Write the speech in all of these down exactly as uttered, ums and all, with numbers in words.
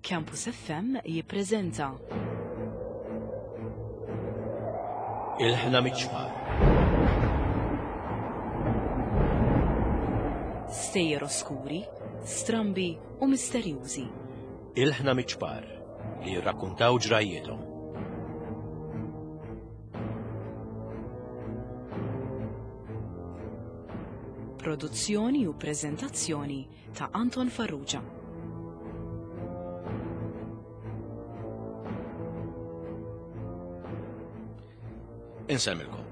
Campus F M jippreżenta Ilħna Miċ-Ċpar. Stejjer oskuri, strambi u misterjużi. Ilħna Miċ-Ċpar li jirrakkuntaw ġrajjithom. Produzzjoni u preżentazzjoni ta' Anton Farrugia. Insemmilkom.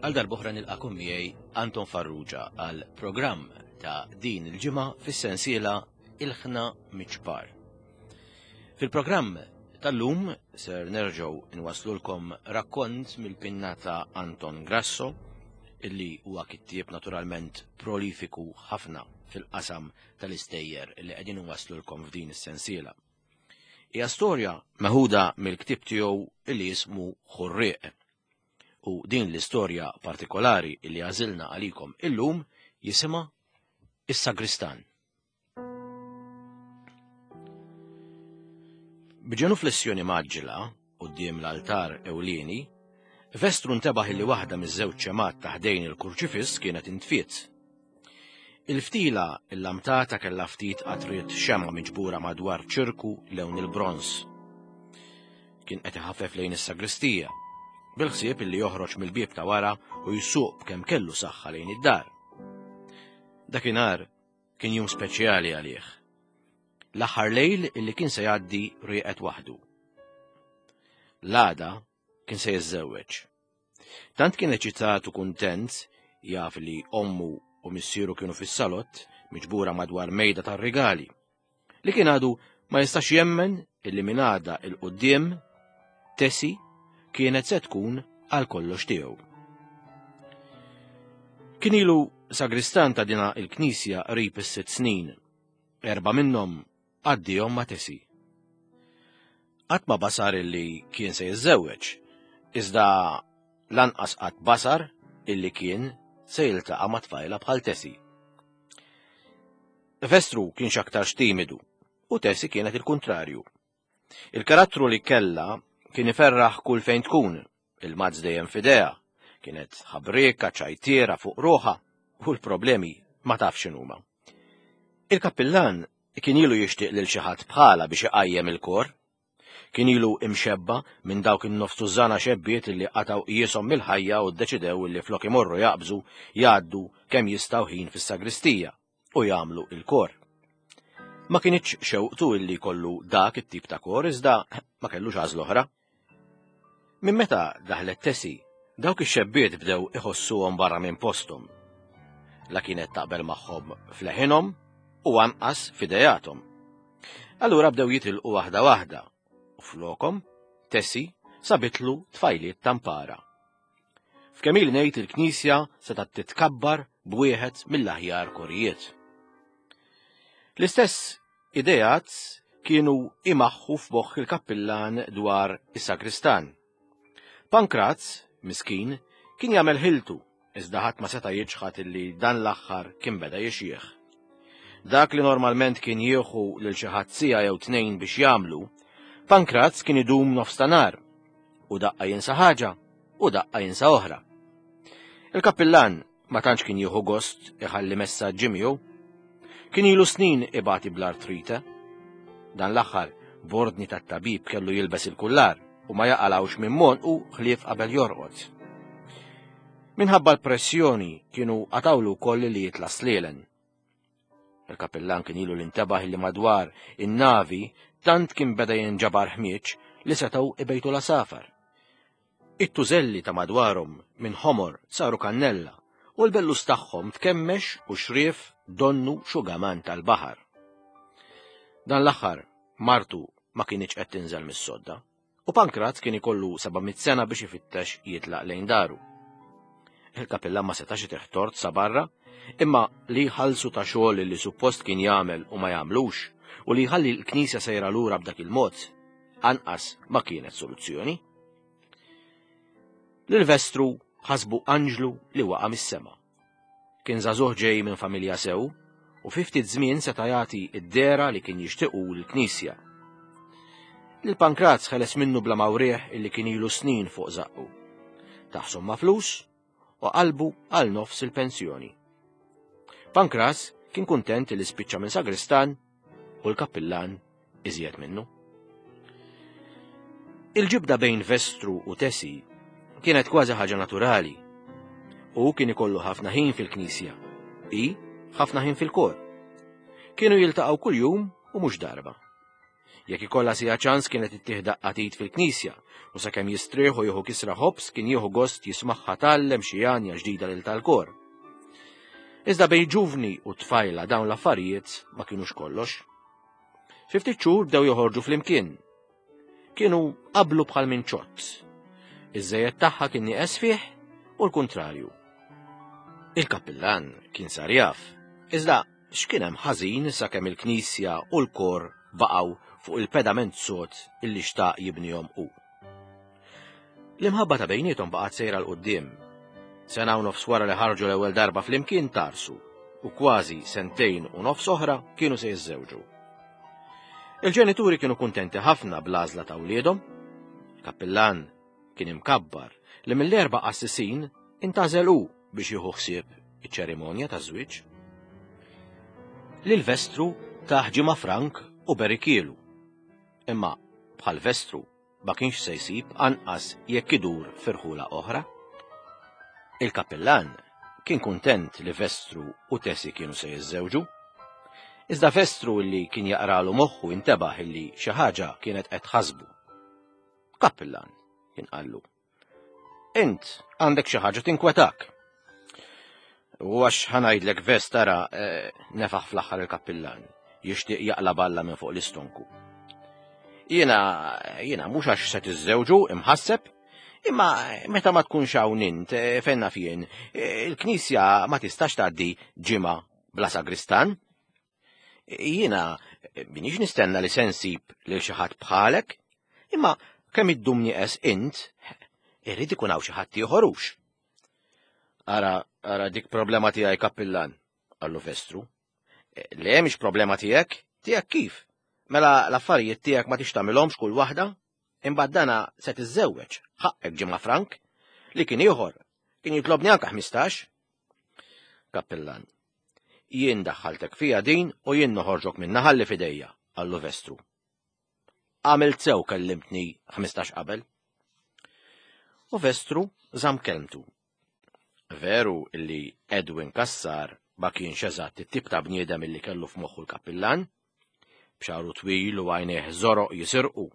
Għal darb'oħra nilqakom miegħi Anton Farrugia għal programm ta' din il-ġimgħa fis-sensiela Ilħna Miċ-Ċpar. Fil-programm tal-lum ser nerġgħu nwaslulkom rakkont mill-pinna ta' Anton Grasso, illi huwa kittieb naturalment prolifiku ħafna fil-qasam tal-istejjer illi qegħdin nwaslulkom f'din is-sensiela. Hija storja meħuda mill-ktieb tiegħu illi jismu Ħurrieq. U din l-istorja partikolari illi għażilna għalikom illum jisimha Is-Sagristan. B'ġenuflessjoni mgħaġġla quddiem l-altar ewlieni, Vestru ntebaħ illi waħda miż-żewġ ċemat ta' ħdejn il-kurċifiss kienet intfiet. Il-ftila il-lamtata kellha ftit qatriet xemgħa miġbura madwar ċirku lewn il-bronż. Kien qed iħaffef lejn is-sagristija, bil-ħsieb illi joħroġ mill-bieb ta' wara u jsuq b'kemm kellu saħħa lejn id-dar. Dakinhar kien jum speċjali għalih. L-aħħar lejl illi kien se jgħaddi rieqed waħdu. L-għada kien se jiżżewweġ. Tant kien eċitat u kuntent jaf li ommu u missieru kienu fis-salott miġbura madwar mejda tar-rigali, li kien għadu ma jistax jemmen illi minn għada il-quddiem Tessie kienet se tkun għal kollox tiegħu. Kien ilu sagristan ta' dina il-knisja qrib is-sitt snin, erba' minnhom għaddihom ma' Tessie. Qatt ma basar illi kien se jiżżewweġ, iżda lanqas qatt basar illi kien se jiltaqa' ma' tfajla bħal Tessie. Vestru kien x'aktarx timidu u Tessie kienet il-kuntrarju. Il-karattru li kellha kien iferraħ kull fejn tkun, il-mazz dejjem f'idejha, kienet ħabrieka ċajtiera fuq ruħha u l-problemi ma tafx x'inhuma. Il-kappillan kien ilu jixtieq lil xi ħadd bħala biex iqajjem il-kor. Kien ilu imxebba minn dawk in-nofs tużana xebbiet illi qatgħu qiesom mill-ħajja u ddeċidew illi flok imorru jaqbżu jgħaddu kemm jistgħu ħin fis-sagristija u jagħmlu il-kor. Ma kienx xewqtu illi jkollu dak it-tip ta' kor iżda ma kellux għażla oħra. Minn meta daħlet Tessie, dawk ix-xebbiet bdew iħossuhom barra minn posthom. La kienet taqbel magħhom f'leħinhom u anqas f'idejathom. Allura bdew jitilqu waħda waħda u flokhom Tessie sabitlu tfajliet tampara. F'kemm ili ngħid il-knisja setgħet titkabbar b'wieħed mill-aħjar korijiet. L-istess ideat kienu imaħħu f'moħħ il-kappillan dwar is-sagristan. Pankraz, miskin, kien jagħmel ħiltu, iżda ħadd ma seta' jiġħad illi dan l-aħħar kien beda jixjieħ. Dak li normalment kien jieħu lil xi ħadd siegħa jew tnejn biex jagħmlu, Pankraz kien idum nofs ta' nar, u daqqa jinsa ħaġa u daqqa jinsa oħra. Il-kappillan ma tantx kien jieħu gost iħalli messaġġi miegħu. Kien ilu snin ibati bl-artrite. Dan l-aħħar b'ordni tat-tabib kellu jilbes il-kullar u ma jaqalawx minn monqu ħlief qabel jorqod. Minħabba l-pressjoni kienu qatawlu wkoll li jitla' slielen. Il-kappillan kien ilu l-intabaħ li madwar in-navi tant kien beda jinġabar ħmieġ li setgħu ibejtu la safar. It-tużelli ta' madwarhom minn ħomor saru kannella u l-bellus tagħhom tkemmex u xrief donnu xugaman tal-baħar. Dan l-aħħar martu ma kienx qed tinżel mis-sodda u Pankraz kien ikollu seba' mitt sena biex ifittex jitlaq lejn daru. Il-kappillan ma setax itih tort sa barra, imma li jħallsu ta' xogħol li suppost kien jagħmel u ma jagħmlux u li jħalli l-knisja sejra lura b'dak il-mod, anqas ma kienet soluzzjoni. Lil Vestru ħasbu anġlu li waqa' mis-sema. Kien żagħżugħ ġej minn familja sew u fi ftit żmien seta' jagħti d-dehra li kien jixtiequ l-knisja. Lil Pankraz ħeles minnu bla mawrieħ illi kien ilu snin fuq żaqqu. Tah somma flus u qalbu għal nofs il-pensjoni. Pankraz kien kuntent li spiċċa minn sagristan u l-kappillan iżjed minnu. Il-ġibda bejn Vestru u Tesi kienet kważi ħaġa naturali. U kien ikollu ħafna ħin fil-knisja, i ħafna ħin fil-kor. Kienu jiltaqgħu kuljum u mhux darba. Jekk ikollha sija ċans kienet ittih daqqa t'id fil-knisja u sakemm jistrieħu jieħu kisra ħobż kien jieħu gost jismagħha tgħallem xi għanja ġdida lil tal-kor. Iżda bejn ġuvni u tfajla dawn l-affarijiet ma kienux kollox. Fi ftit xhur bdew joħorġu flimkien. Kienu qablu bħal minn ċott. Iż-żejjed tagħha kien nieqes fih u l-kuntrarju. Il-kappillan kien sar jaf, iżda x'kien hemm ħażin sakemm il-knisja u l-kor baqgħu fuq il-pedament sod illi xtaq jibnihom hu. L-imħabba ta' bejniethom baqgħet sejra 'l quddiem. Sena u nofs wara li ħarġu l-ewwel darba flimkien tgħarrsu u kważi sentejn u nofs oħra kienu se jiżżewġu. Il-ġenituri kienu kuntenti ħafna bl-għażla ta' wliedhom. Kappillan kien imkabbar li mill-erba' qassisin intgħażel hu biex jieħu ħsieb iċ-ċerimonja taż-żwieġ. Lil Vestru tah ġimgħa frank u berikielu. Imma bħal Vestru ma kienx se jsib anqas jekk idur f'irħula oħra. Il-kappillan kien kuntent li Vestru u Tesi kienu se jiżżewġu. Iżda Vestru li kien jaqralu moħħu intebaħ illi xi ħaġa kienet qed tħassbu. Kappillan kien qallu. Int għandek xi ħaġa tinkwetak. U għax ħa ngħidlek Vest tara eh, nefaħ fl-aħħar il-kappillan, jixtieq jaqla balla minn fuq l-istonku. Jiena, jiena mhux għax se tiżżewġu imħasseb, imma meta ma tkunx hawn int eh, fenna fien, eh, il-knisja ma tistax tgħaddi ġimgħa bla sagristan. Jiena minix nistenna li se nsib lil xi ħadd bħalek, imma kemm iddum nieqes int, irrid ikun hawn xi ħadd ieħor hux. Ara, ara dik problema tiegħi kappillan, qallu Vestru. Le mhix problema tiegħek, tiegħek kif? Mela l-affarijiet tiegħek ma tix tagħmilhomx kull waħda? Imbagħad dana se tiżżewweġ, ħaqqek ġimgħa frank, li kien ieħor, kien jitlobni anke ħmistax. Kappillan, jien daħħaltek fija din u jien noħorġok minna ħalli fidejja, qallu Vestru. Għamilt sew kellimtni ħmistax qabel. U Vestru żamm kelmtu. Veru illi Edwin Cassar ma kienx eżatt it-tip ta' bniedem illi kellu f'moħħu l-kappillan, b'xagħru twil u għajnejh żoroq jisirqu,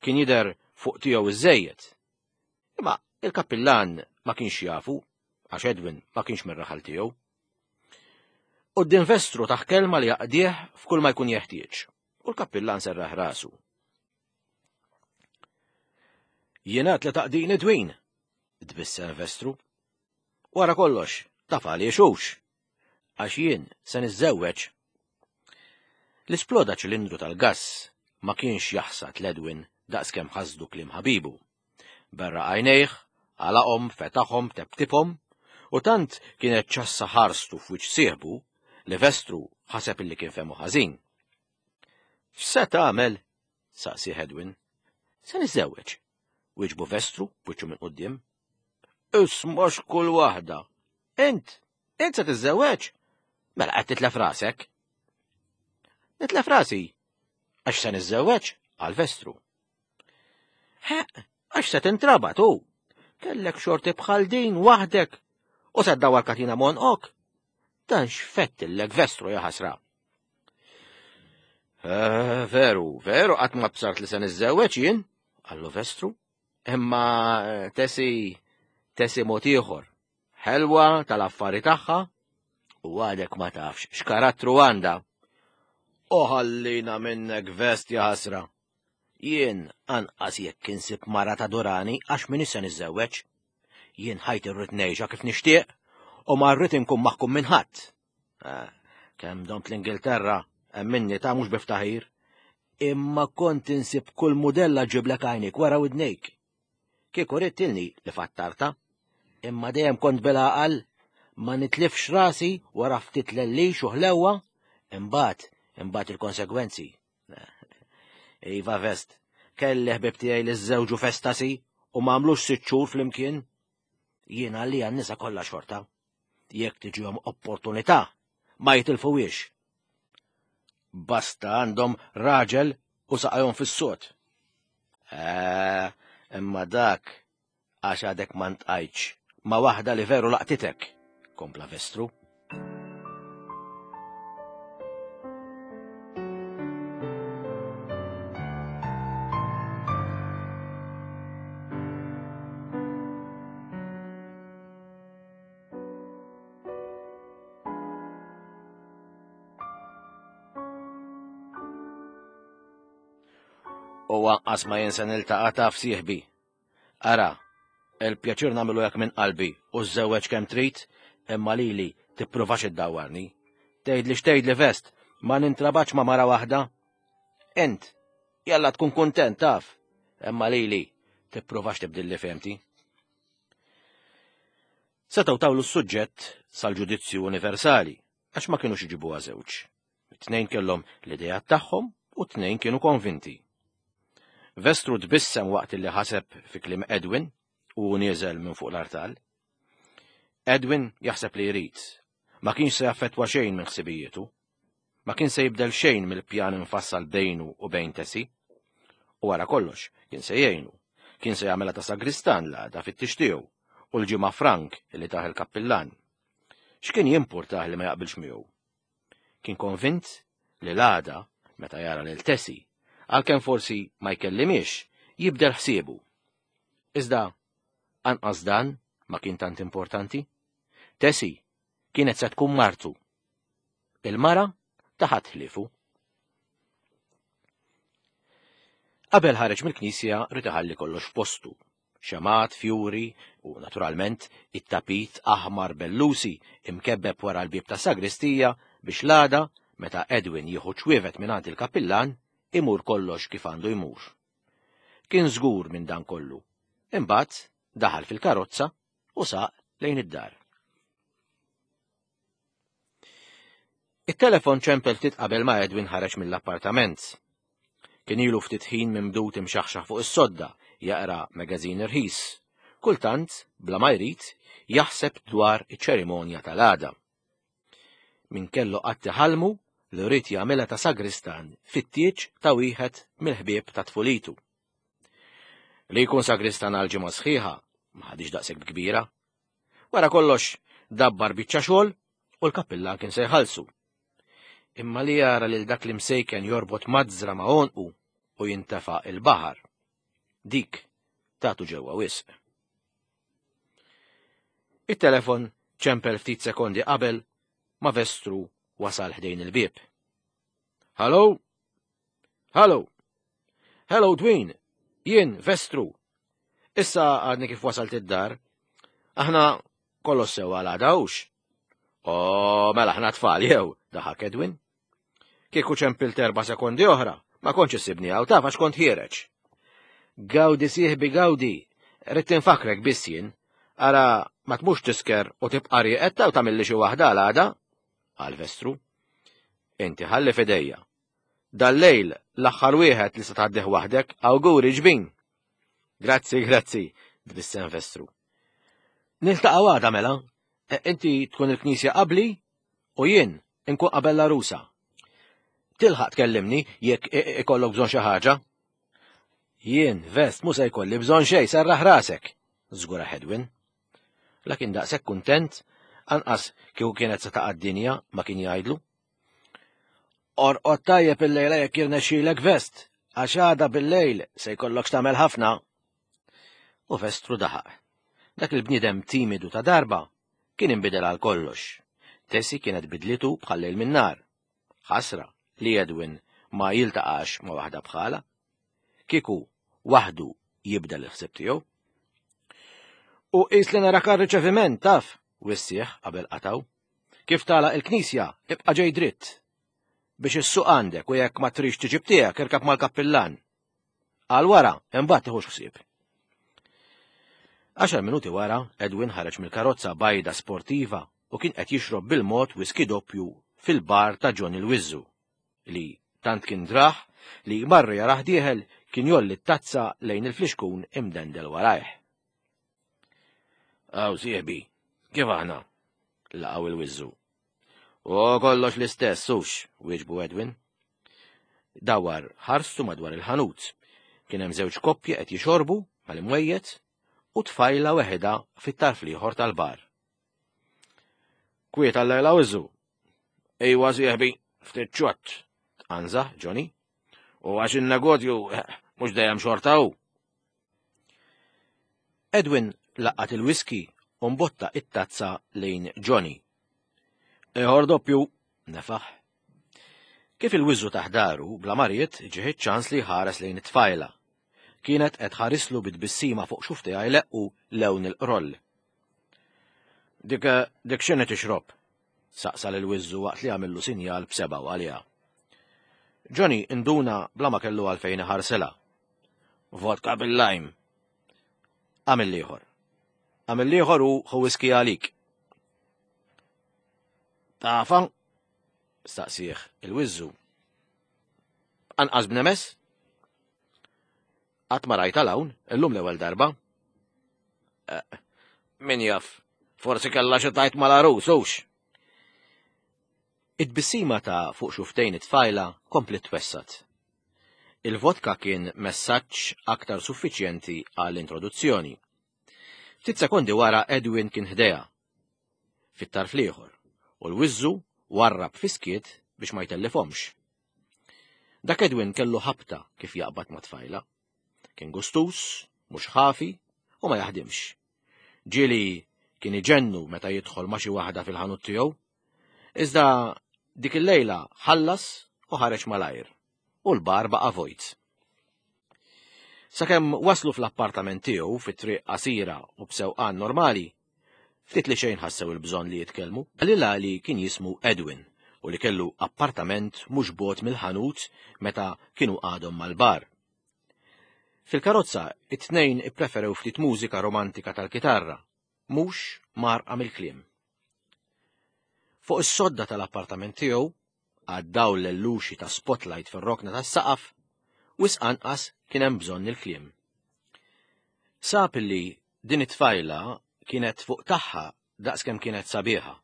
kien jidher fuq tiegħu iżżejjed. Imma il-kappillan ma kienx jafu, għax Edwin ma kienx mir-raħal tiegħu. Quddiem Vestru tah kelma li jaqdih f'kull ma jkun jeħtieġ, u l-kappillan serraħ rasu. Jiena li taqdini Edwin, tbissem Vestru. Wara kollox, taf għaliex hux, għax jien se niżżewweġ. L-isploda ċilindru tal-gass ma kienx jaħsad l-Edwin daqskemm ħasdu kliem ħabibu. Berra għajnejh, għalaqhom, fetaħhom, teptibhom, u tant kienet ċassa ħarstu f'wiċċ sieħbu li Vestru ħaseb illi kien fehmu ħażin. X'se tagħmel? saqsi Edwin. Se niżżewweġ, wieġbu Vestru b'wiċċu minn quddiem. Isma' x'kull waħda. Int, int se tiżżewweġ? Mela qed titlef rasek. Nitlef rasi, għax se niżżewweġ, qal Vestru. He, għax se tintrabat hu. Kellek xorti bħal din waħdek u se ddawwar katina m'għonqok. Dan x'fettillek Vestru ja ħasra. Eh, veru, veru, qatt ma bsart li se niżżewweġ jien, qallu Vestru. Imma eh, Tesi, Tesi mod ieħor. Ħelwa tal-affari tagħha u għadek ma tafx x'karattru għandha. U ħallina minnek Vest ja ħasra. Jien anqas jekk insib mara ta' Durani għax min issa niżżewweġ. Jien ħajti rrid ngħixha kif nixtieq u ma rrid inkun maħkum minn ħadd. Eh, kemm domt l-Ingilterra, hemm minni ta' mhux biftaħir. Imma kont insib kull mudella ġiblek għajnik wara widnejk. Kieku ridt ilni li fattarta, imma dejjem kont bil-għaqal ma nitlifx rasi wara ftit lellix u ħlewwa, imbagħad imbagħad il-konsegwenzi. Iva Vest, Kelli ħbib tiegħi li żżewġu f'estasi u ma għamlux sitt xhur flimkien. Jiena li għan-nisa kollha xorta. Jekk tiġihom opportunità, ma jitilfuhiex. Basta għandhom raġel u saqajhom fis-sod. Eh, imma dak għax għadek ma ntqajtx ma' waħda li veru laqtitek, kompla Vestru. U anqas ma jien se niltaqa' taf sieħbi. Ara, il-pjaċir nagħmlu hekk minn qalbi u żżewweġ kemm trid, imma lili tippruvax iddawwarni. Tgħidli x'tgħidli Vest, ma nintrabax ma' mara waħda. Int, jalla tkun kuntent taf, imma lili tippruvax tibdilli fehmti. Setgħu tawlu s-suġġett sal-ġudizzju universali, għax ma kinux iġibuha żewġ. It-tnejn kellhom l-idejat tagħhom u t-tnejn kienu konvinti. Vestru tbissem waqt li ħaseb fi kliem Edwin u nieżel minn fuq l-artal. Edwin jaħseb li jrid. Ma kienx se jaffettwa xejn minn ħsibijietu. Ma kien se jibdel xejn mill-pjan infassal bejnu u bejn Tessie. U wara kollox, kien se jgħinu. Kien se jagħmilha ta' sagristan l-għada fit-tieġ tiegħu u l-ġimgħa Frank li tah il-kappillan. X'kien jimpurtah li ma jaqbilx miegħu? Kien konvint li l-għada, meta jara lil Tessie, għalkemm forsi ma jkellimiex, jibdel ħsiebu. Iżda, anqas dan ma kien tant importanti. Tessie kienet se tkun martu. Il-mara ta' ħadd ħliefu. Qabel ħareġ mill-knisja rid iħalli kollox f'postu. Xemat, fjuri u, naturalment, it-tapit aħmar bellusi imkebbeb wara l-bieb ta' sagristija biex l-għada, meta Edwin jieħu ċwievet mingħand il-kappillan, imur kollox kif għandu jmur. Kien żgur minn dan kollu. Imbagħad daħal fil-karozza u saq lejn id-dar. It-telefon ċempel ftit qabel ma Edwin ħareġ mill-appartament. Kien ilu ftit ħin mimdud imxaħxaħ fuq is-sodda, jaqra magazin irħis. Kultant, bla ma jrid, jaħseb dwar iċ-ċerimonja tal-għada. Min kellu qatt iħallmu li rrid jagħmilha ta' sagristan fit-tieġ ta' wieħed mill-ħbieb ta' tfulitu. Li jkun sagristan għal ġimgħa sħiħa ma ħadix daqshekk kbira. Wara kollox dabbar biċċa xogħol u l-kappillan kien se jħallsu. Imma li jara lil dak li msejken jorbot mażżra ma' għonqu u jintefa' il-baħar. Dik tatu ġewwa wisq. It-telefon ċempel ftit sekondi qabel ma Vestru wasal ħdejn il-bieb. Hello? Hello? Hello, Dwayne. Jien Vestru. Issa għadni kif wasalt id-dar. Aħna kollox sewa għal hux. O, mela aħna tfal jew, daħak Edwin. Kieku ċempilt erba' sekondi oħra, ma kontx issibni hawn taf għax kont ħiereġ. Gawdi sieħbi gawdi, rrid tinfakrek biss jien. Ara ma tmux tisker u tibqa' rieqed u tagħmilli xi waħda għal għada, qal Vestru. Inti ħalli f'idejja. Dal-lejl l-aħħar wieħed li se tgħaddih waħdek, awguri ġbin. Grazzi, grazzi, tbissem Vestru. Niltaqgħu għada mela. Inti tkun il-knisja qabli u jien inkun qabel l-għarusa. Tilħaq tkellimni jekk ikollok bżonn xi ħaġa. Jien, Vest, mhu se jkolli bżonn xejn, serraħ rasek, żgura Edwin. Lakin daqshekk kuntent, anqas kieku kienet se taqa' d-dinja ma kien jgħidlu. Orqod tajjeb il-lejla jekk jirnexxielek Vest, għax għada bil-lejl se jkollok x'tagħmel ħafna. U Vestru daħaq. Dak il-bniedem timidu ta' darba kien inbidel għal kollox. Tessie kienet bidlitu bħal lejl min nar. Ħasra li Edwin ma jiltaqax ma' waħda bħala. Kieku waħdu jibdel il-ħsieb tiegħu. U qis li narak għar-riċeviment taf, wissieħ qabel qataw. Kif tagħlaq il-knisja, ibqa' ġej dritt. Biex issuq għandek u jekk ma trix tiġib tiegħek irkab mal-kappillan. Għal wara, imbagħad tieħux ħsieb. Għaxar minuti wara, Edwin ħareġ mill-karozza bajda sportiva u kien qed jixrob bil-mod whisky doppju fil-bar ta' John il-Wizzu, li tant kien draħ li marru jarah dieħel kien jolli t-tazza lejn il-flixkun imdendel warajh. Aw sieħbi, kif aħna? Laqgħu il-wiżżu. U kollox l-istess, hux, wieġbu Edwin. Dawar ħarstu madwar il-ħanut. Kien hemm żewġ koppji qed jixorbu mal-imwejjed u tfajla weħeda fit-tarf l-ieħor tal-bar. Kwiet għal-lejla wiżżu. Ejwa sieħbi, ftit ċott, tqanżaħ Johnny. U għax in-negozju mhux dejjem xorta hu. Edwin laqat il-whisky u mbotta it-tazza lejn Johnny. Ieħor doppju, nefaħ. Kif il-wiżżu taħdaru, bla mariet ġieħ ċans li ħares lejn it-tfajla. Kienet qed ħarislu bit-tbissima fuq xuftejha jleqqu lewn il-qroll. Dik dik x'inhi tixrob? Saqsa lil wiżżu waqt li għamillu sinjal b'sebgħu għaliha. Johnny induna bla ma kellu għalfejn iħarsilha. Vodka bil-lime. Għamil ieħor. Għamil ieħor u ħu whisky għalik. Tafa? Staqsih il-wiżżu. Anqas b'nemes? Qatt ma rajta l-hawn, illum l-ewwel darba. Eh, min jaf, forsi kellha xi tajt mal-għarus, hux. It-tbissima ta' fuq xuftejn it-tfajla komplet twessat. Il-vodka kien messaġġ aktar suffiċjenti għall-introduzzjoni. Ftit sekondi wara Edwin kien ħdejha. Fit-tarf l-ieħor, u l-wiżżu warrab fiskiet biex ma jtellifhomx. Dak Edwin kellu ħabta kif jaqbad ma' tfajla. Kien gustus, mhux ħafi u ma jaħdimx. Ġieli kien iġennu meta jidħol ma' xi waħda fil-ħanut tiegħu. Iżda dik il-lejla ħallas u ħareġ malajr, u l-bar baqa' vojt. Sakemm waslu fl-appartament tiegħu fit-triq qasira u b'sewqan normali, ftit li xejn ħassew il-bżonn li jitkellmu. Qalilha li kien jismu Edwin u li kellu appartament mhux bogħod mill-ħanut meta kienu għadhom mal-bar. Fil-karozza, it-tnejn ippreferew ftit mużika romantika tal-kitarra, mhux marqa mill-kliem. Fuq is-sodda tal-appartament tiegħu, għaddaw l-luxi ta' spotlight fir-rokna tas-saqaf, wisq anqas kien hemm bżonn il-kliem. Sab li din it-tfajla kienet fuq tagħha daqskemm kienet sabiħa.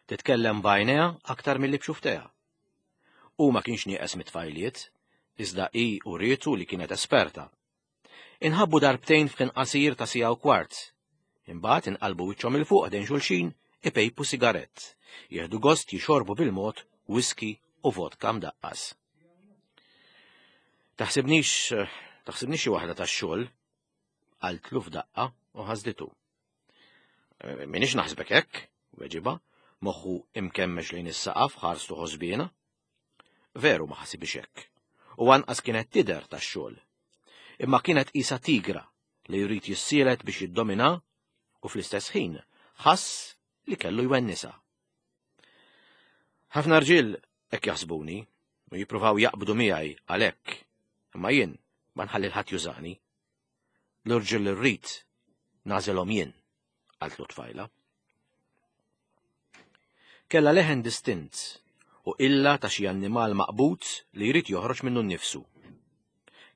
Titkellem b'għajnejha aktar milli b'xuftejha. U ma kienx nieqes mit-tfajliet, iżda hi urietu li kienet esperta. Inħabbu darbtejn f'ħin qasir ta' siegħa u kwart. Imbagħad inqalbu wiċċhom 'il fuq ħdejn xulxin ipejpu sigarett, jieħdu gost jixorbu bil-mod whisky u vodka mdaqqas. Taħsibnix, taħsibnix xi waħda tax-xogħol, qaltlu f'daqqa u ħasditu. Minix naħsbek hekk, weġiba, moħħu imkemmex lejn is-saqaf ħarstu ħosbina. Veru ma ħasibix hekk, u anqas kienet tidher tax-xogħol. Imma kienet qisha tigra li jrid jissielet biex jiddomina u fl-istess ħin ħass li kellu jwennisa. Ħafna rġiel hekk jaħsbuni u jippruvaw jaqbdu miegħi għalhekk, imma jien ma nħalli ħadd jużani. L-irġiel li rrid nagħżilhom jien, qaltlu tfajla. Kellha leħen distint u illa ta' xi annimal maqbud li jrid joħroġ minnu nnifsu.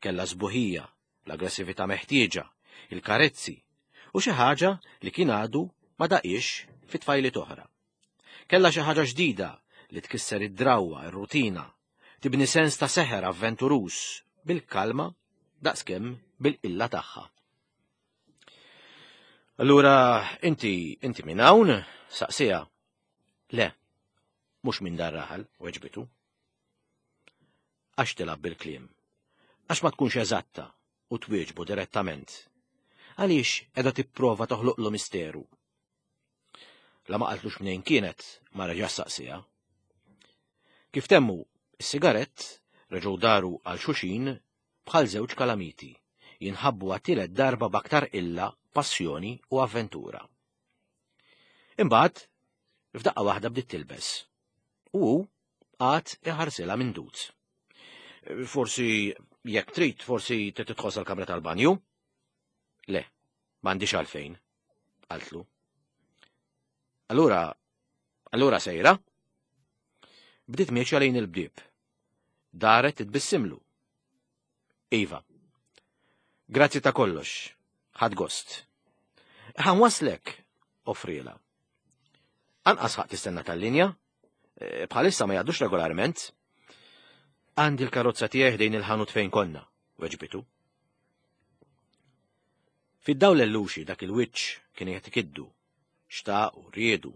Kellha sbuħija, l-aggressività meħtieġa, il-karezzi u xi ħaġa li kien għadu ma daqiex fi tfajliet oħra. Kellha xi ħaġa ġdida li tkisser id-drawwa, ir-rutina, tibni sens ta' seħer avventuruż bil-kalma daqskemm bil-qilla tagħha. Allura inti inti minn hawn? Saqsija. Le, mhux minn dar raħal, weġbitu. Għax tilgħab bil-kliem? Għax ma tkunx eżatta u twieġbu direttament? Għaliex qiegħda tipprova toħloqlu misteru? La ma qaltlux mnejn kienet, ma reġa' saqsija. Kif temmu is-sigarett, reġgħu daru għal xuxin bħal żewġ kalamiti, jinħabbu għat-tielet darba b'aktar illa, passjoni u avventura. Imbagħad, f'daqqa waħda bdiet tilbes. U hu għad iħarsilha minn dut. Forsi jekk trid, forsi tidħol sal-kamra tal-banju? Le, m'għandix għalfejn, qaltlu. Allura, allura sejra? Bdiet miexja lejn il-bdieb. Daret titbissimlu. Iva. Grazzi ta' kollox. Ħadt gost. Ħa nwasslek, offrielha. Anqas ħaqq tistenna tal-linja, e, bħalissa ma jgħaddux regolarment. Għandi l-karozza tiegħi ħdejn il-ħanut fejn konna, weġbitu. Fid-dawl l-luxi dak il-wiċċ kien qed ikiddu, xtaq u riedu,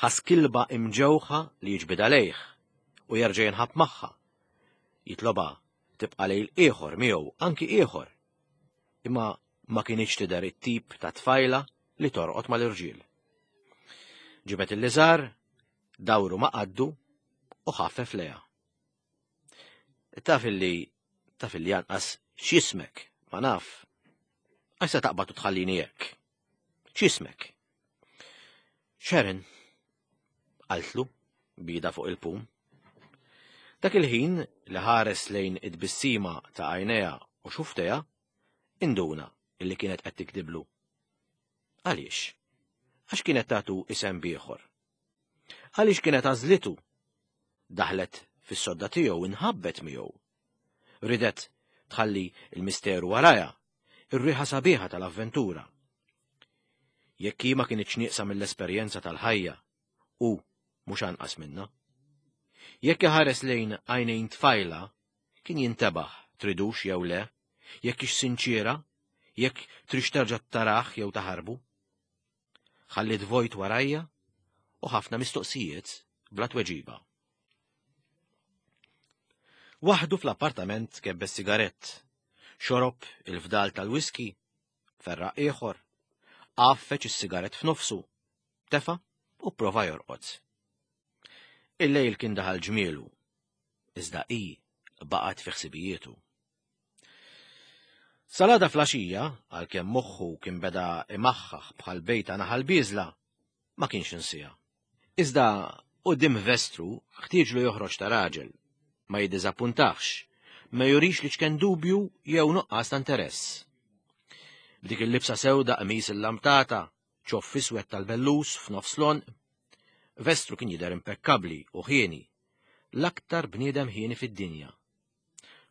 ħass kilba imġewħa li jiġbidha lejh u jerġa' jinħab magħha. Jitlobha tibqa' lejl ieħor miegħu anki ieħor. Imma ma kinitx tidher it-tip ta' tfajla li torqod mal-irġiel. Ġibed il-liżar, dawru ma' qaddu u ħaffef lejha. Taf illi, taf illi anqas x'jismek, ma naf. Għax se taqbad u tħallini hekk. X'jismek? Sharon, qaltlu b'idha fuq il-pum. Dak il-ħin li ħares lejn it-tbissima ta' għajnejha u xufftejha, induna illi kienet qed tikdiblu. Għaliex? Għax kienet tatu isem ieħor. Għaliex kienet għażlitu? Daħlet fis-sodda tiegħu inħabbet miegħu. Ridet tħalli il-misteru warajha, ir-riħa sabiħa tal-avventura. Jekk hi ma kinitx nieqsa mill-esperjenza tal-ħajja, u mhux anqas minna. Jekk iħares lejn għajnejn tfajla, kien jintebaħ tridux jew le, jekk hix sinċiera, jekk tridx terġa' tarah jew taħarbu. Ħalliet vojt warajja u ħafna mistoqsijiet bla tweġiba. Waħdu fl-appartament kebbes sigarett, xorob il-fdal tal-whisky, ferraq ieħor, għaffeġ is-sigarett f'nofsu, tefa u prova jorqod. Il-lejl kien daħal ġmielu, iżda hi baqgħet fi ħsibijietu. Sal-għada filgħaxija, għalkemm moħħu kien beda imaħħaħ bħal bejta naħal biżla, ma kienx insieha. Iżda quddiem vestru ħtieġlu joħroġ ta' raġel, ma jiddiżappuntax, ma jurix li ċken dubju jew nuqqas ta' interess. B'dik il-libsa sewda qmis il-lamtata, ċoff iswed tal-bellus f'nofs l-għonq, Vestru kien jidher impekkabli u ħieni, l-aktar bniedem ħieni fid-dinja.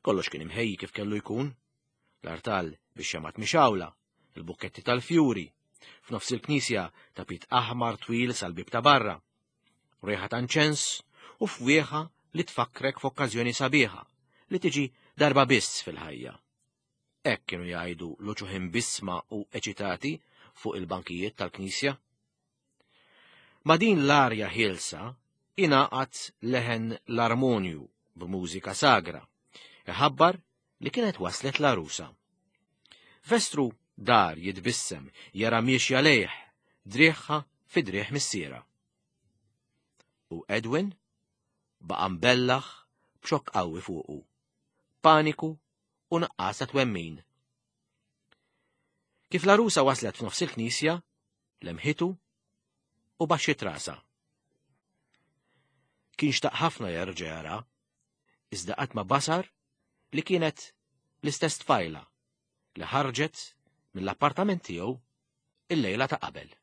Kollox kien imħejji kif kellu jkun, l-artal bix-xemgħat mixgħula, il-bukketti tal-fjuri, f'nofs il-knisja tapit aħmar twil sal-bib ta' barra, riħa ta' inċens u fwieħa li tfakkrek f'okkażjoni sabiħa li tiġi darba biss fil-ħajja. Hekk kienu jgħidu l-uċuħ imbissma u eċitati fuq il-bankijiet tal-knisja. Ma' din l-arja ħielsa ingħaqad leħen l-armonju b'mużika sagra, iħabbar li kienet waslet l-għarusa. Vestru dar jitbissem jara miexja lejh, driegħha fi driegħ missierha. U Edwin baqa' mbellaħ b'xokk qawwi fuqu, paniku u nuqqas ta' twemmin. Kif l-għarusa waslet f'nofs il-knisja, lemħitu u baxxiet rasha. Kien xtaq ħafna jerġa' jara, iżda qatt ma basar li kienet l-istess tfajla li ħarġet mill-appartament tiegħu il-lejla ta' qabel.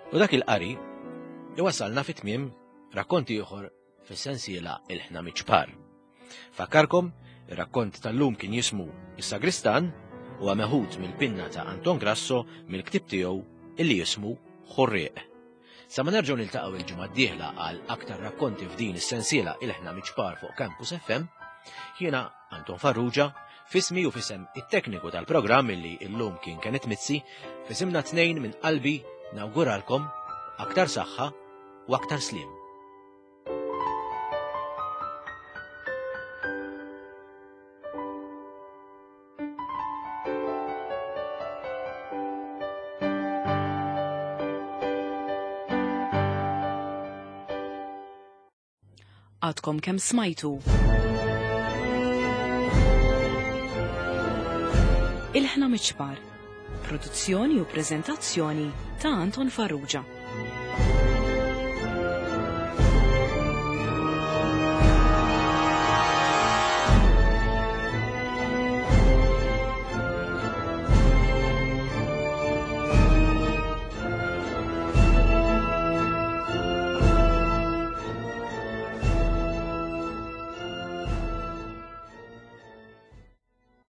U dak il-qari iwasalna fi tmiem rakkont ieħor fis-sensiela Il-Ħna Miċpar. Fakkarkom, ir-rakkont tal-lum kien jismu Is-Sagristan u meħud mill-pinna ta' Anton Grasso mill-ktieb tiegħu illi jismu Ħurrieq. Sa ma nerġgħu niltaqgħu il-ġimgħa d-dieħla għal aktar rakkonti f'din is-sensiela Ilħna Miċpar fuq Campus F M, jiena Anton Farrugia, fismi u fisem it-tekniku tal-programm illi illum kien Kenneth Mizzi, fisimna tnejn minn qalbi nawguralkom aktar saħħa u aktar sliem. Għadkom kemm smajtu. Ilħna Miċpar, produzzjoni u preżentazzjoni ta' Anton Farrugia.